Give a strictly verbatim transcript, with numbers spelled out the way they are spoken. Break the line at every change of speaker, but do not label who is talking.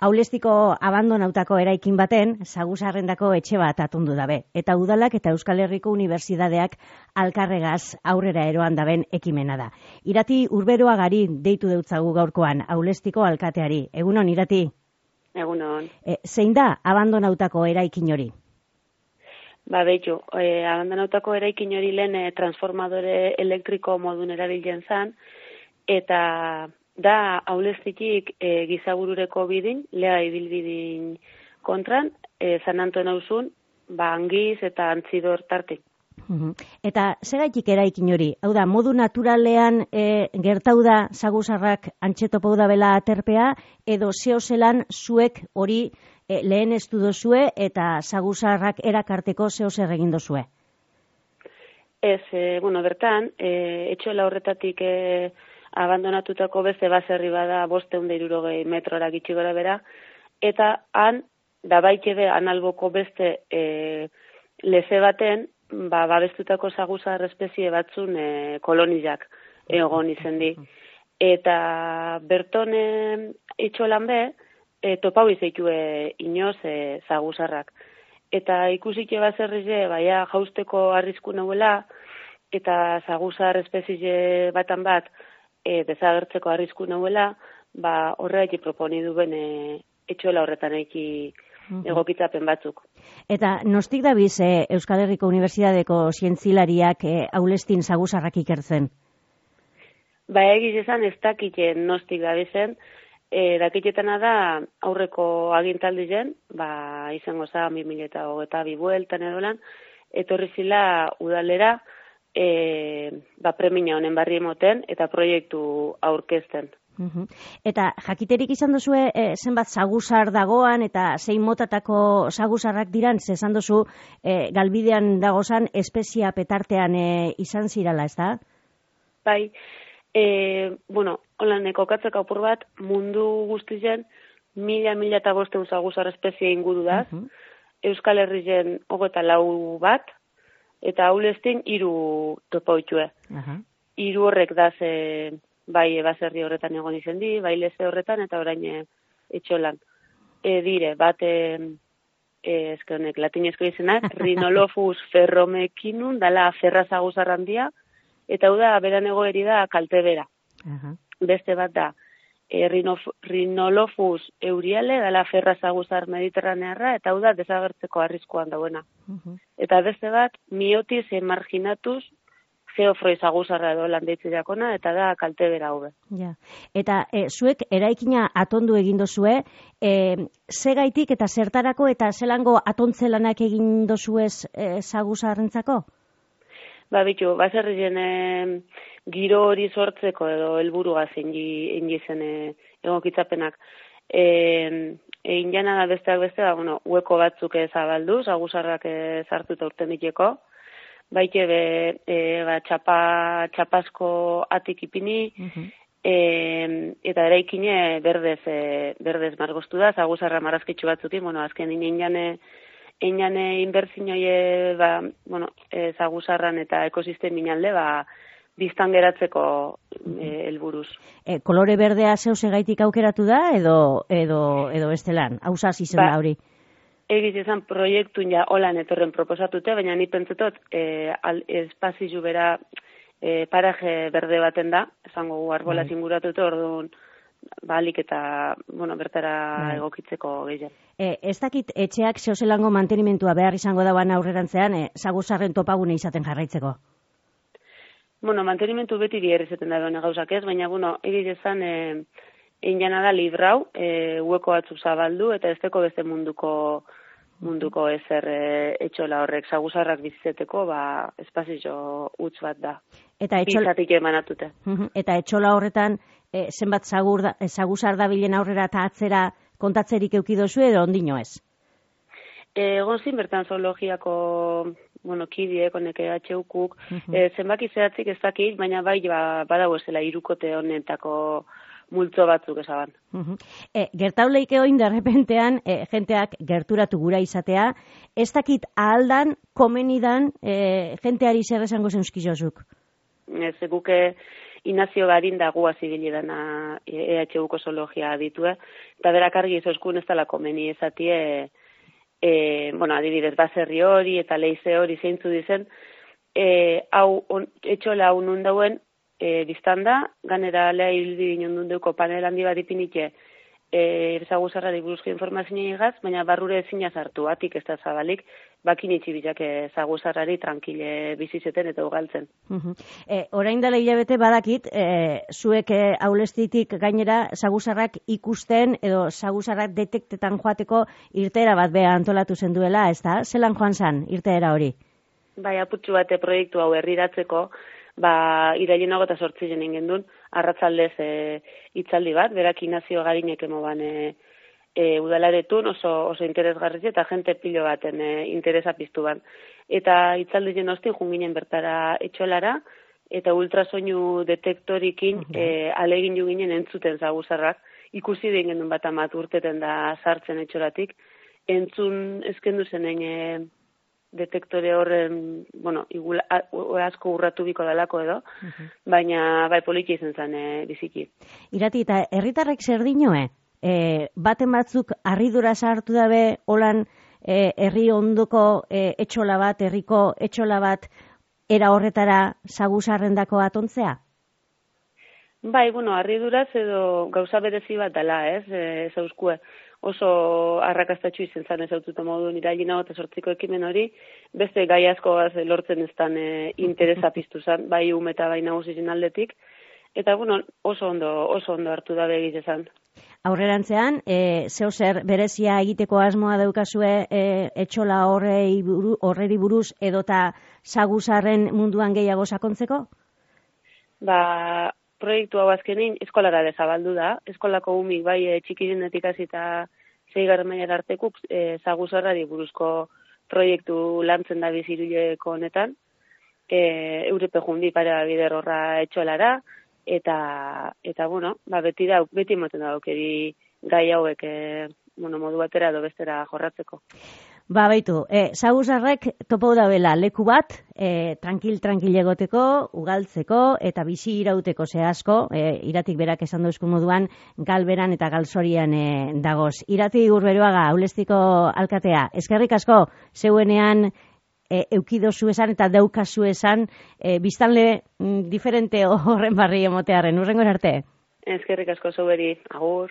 Aulestiko abandonautako eraikin baten, saguzarrendako etxe bat atundu dabe. Eta udalak eta Euskal Herriko Unibertsitateak alkarregaz aurrera eroan daben ekimena da. Irati Urberoagari deitu deutzagu gaurkoan, Aulestiko alkateari. Egunon, Irati?
Egunon.
E, zein da abandonautako eraikin hori?
Ba, behitu, e, abandonautako eraikin hori lehen e, transformadore elektriko modun erabiltzen zan, eta da Aulestitik e, gizaburureko bidin, lea ibilbidin kontran, e, San Anton hauzun, ba, angiz eta antzidor tarte.
Eta segaitik eraikin hori? Hau da, modu naturalean e, gertau da saguzarrak antxetopau da bela aterpea, edo zehozelan zuek hori e, lehen ez duzue eta saguzarrak erakarteko zehozer egin dozue?
Ez, e, bueno, bertan, e, etxola horretatik e, abandonatutako beste baserri bada bosteun da hirurogei metrora gitxi gora bera, eta han, da baikebe analboko beste e, leze baten, ba, babestutako saguzar espezie batzun e, kolonizak egon izen di. Eta berton e, etxolan be, e, topau izaitu e, inoz e, saguzarrak. Eta ikusik baserrize, baia jausteko arrisku nahuela, eta saguzar espezie batan bat e, desagertzeko arrisku nahuela, ba, horretik proponi duen e, etxola horretan eki egokitzapen batzuk.
Eta nostik dabiz eh, Euskal Herriko Unibertsitateko zientzilariak eh, Aulestin saguzarrak ikertzen?
Ba, egiz esan ez dakiten nostik dabizen, e, dakiketana da aurreko agintaldi zen, ba, izango za, bi mila hogeita bi bueltan edolan, etorri zila udalera, e, ba, premia honen barri emoten eta proiektu aurkezten.
Eta jakiterik izan duzue e, zenbat saguzar dagoan eta zein motatako saguzarrak diran, ze esan duzu e, galbidean dagozan espezia petartean e, izan zirala, ez da?
Bai, e, bueno, holan kokatzeko apur bat, mundu guztien mila, mila eta bosteun saguzar espezia inguru daz, uh -huh. Euskal Herrien hogeta lau bat, eta Aulestin hiru topoitue. Uh -huh. Hiru horrek daz e, bai baserri horretan egon izen di, bai leze horretan, eta orain e, etxolan. E, dire, bat, e, e, eske honek, latinezko izenak, Rhinolophus ferromekinun, dala ferra saguzar handia, eta hau da, beran egoeri da, kalte bera. Uh-huh. Beste bat da, e, Rhinolophus euriale, dala ferra saguzar mediterranearra, eta hau da, desagertzeko arriskuan dauena. Uh-huh. Eta beste bat, Myotis emarginatus, geofroi saguzarra edo landeitzi dakona, eta da kalte bera hube.
Ja. Eta e, zuek eraikina atondu egin dozue, e, zegaitik eta zertarako eta zelango atontze-lanak egin dozuez e, saguzarrentzako?
Ba, bitu, baserrien e, giro hori sortzeko edo helburua zein zen e, egokitzapenak. E, egin jana da besteak beste, da, bueno, hueko batzuk zabaldu, saguzarrak e, sartu eta urten diteko, baite be, e, ba, txapa, txapasko atik ipini, uh-huh. e, eta eraikine berdez, e, berdez margoztu da, zaguzarra marrazkitzu batzukin, bueno, azken injane, injane inbertzinoi, ba, bueno, e, zaguzarran eta ekosistemin alde, ba, biztan geratzeko helburuz. E,
e, kolore berdea zeus egaitik aukeratu da, edo, edo, edo estelan, hausaz izen ba, da hori?
Egiz izan proiektun ja holan etorren proposatute, baina ni pentsetot e, espazizu bera e, paraje berde baten da, esango gu arbola zinguratute, orduan balik eta bueno, bertara Bai. egokitzeko gehiago.
E, ez dakit etxeak zeozelango mantenimentua behar izango dauan aurrerantzean, e, saguzarren topagune izaten jarraitzeko?
Bueno, mantenimentu beti biher izaten da bene gauzak ez, baina bueno, egiz izan e, egin jana da librau, e, hueko batzuk zabaldu, eta ez teko beste munduko munduko ezer e, etxola horrek saguzarrak bizizeteko, ba, espazio utz bat da.
Eta etxola...
Bizatik emanatute.
Eta etxola horretan, e, zenbat zagur da, saguzar da bilen aurrera eta atzera kontatzerik eukidozu edo ondino ez?
E, egon zin bertan zoologiako, bueno, kidiek, honek H U K, uh-huh. e, zenbaki zehatzik ez dakit, baina bai, ba, badago ezela hirukote honetako multzo batzuk esaban.
Uh-huh. E, gertauleike oin derrepentean, e, jenteak gerturatu gura izatea, ez dakit ahaldan, komenidan, e, jenteari zer esango zeuzkizozuk?
Ez, guke Inazio Garin da gu azibili dana E H Uko zoologia aditue, eta berak argi izozkun ez dela komeni ezatie, e, bueno, adibidez, baserri hori eta leize hori zeintzu dizen, e, hau, on, etxola hau nun dauen, e, biztanda, ganera lea hildi ginen dundeuko panel handi bat ipinike, e, zaguzarrari buruzko informazioa igaz, baina barrure ezina zartu, atik ez da zabalik, bakin itxibilak zaguzarrari tranquile bizizeten eta ugaltzen.
Uh-huh. E, orain dela hilabete badakit, e, zuek e, aulestitik gainera zaguzarrak ikusten edo zaguzarrak detektetan joateko irteera bat beha antolatu zen duela, ez da? Zelan joan zan irteera hori?
Bai, aputxu bate proiektu hau herriratzeko, ba, irailenago eta sortzien ingendun, arratzaldez e, itzaldi bat, berak Inazio Garinek emoban e, e, udalaretun oso, oso interesgarriz eta jente pilo baten e, interesa piztu ban. Eta itzaldi jen hostin junginen bertara etxolara, eta ultrasoinu detektorikin uh-huh. e, alegin ju ginen entzuten zaguzarrak, ikusi den gendun bat amat urteten da sartzen etxoratik, entzun ezkendu zenen e, detektore horren, bueno, igula, asko urratu biko dalako edo, uh-huh. baina bai poliki izan zen e, biziki.
Irati, eta herritarrek zer dinoe? E, baten batzuk harridura sartu dabe holan e, herri ondoko e, etxola bat, herriko etxola bat era horretara zaguzarrendako atontzea?
Bai, bueno, harriduraz edo gauza berezi bat dela, ez, ez euskue. Oso arrakastatxu izen zan ez aututa modun irailina eta sortziko ekimen hori, beste gai asko lortzen ez dan e, interesa piztu zan, bai ume eta bai nagusien aldetik, eta bueno, oso ondo, oso ondo hartu da begiz ezan.
Aurrerantzean, e, zeo zer berezia egiteko asmoa daukazue e, etxola horrei buru, horreri buruz edota zaguzarren munduan gehiago sakontzeko?
Ba, proiektu hau azkenin eskolara dezabaldu da. Eskolako umik bai e, txikirenetik hasita zeigarren mailara artekuk e, zaguzarrari buruzko proiektu lantzen da biziruleko honetan. E, Eurepe jundi pare bider horra etxolara, eta, eta bueno, ba, beti da, beti moten da aukeri gai hauek e, bueno, modu batera edo bestera jorratzeko.
Ba, baitu, e, zaguzarrek topo dabela leku bat, e, tranquil-tranquil egoteko, ugaltzeko eta bizi irauteko zehazko, e, iratik berak esan dauzku moduan, galberan eta galzorian e, dagoz. Irati Urberuaga, Aulestiko alkatea, eskerrik asko, zeuenean e, eukidozu esan eta daukazu esan, e, biztanle mm, diferente horren barri emotearen, urrengo arte.
Eskerrik asko zuberi, agur.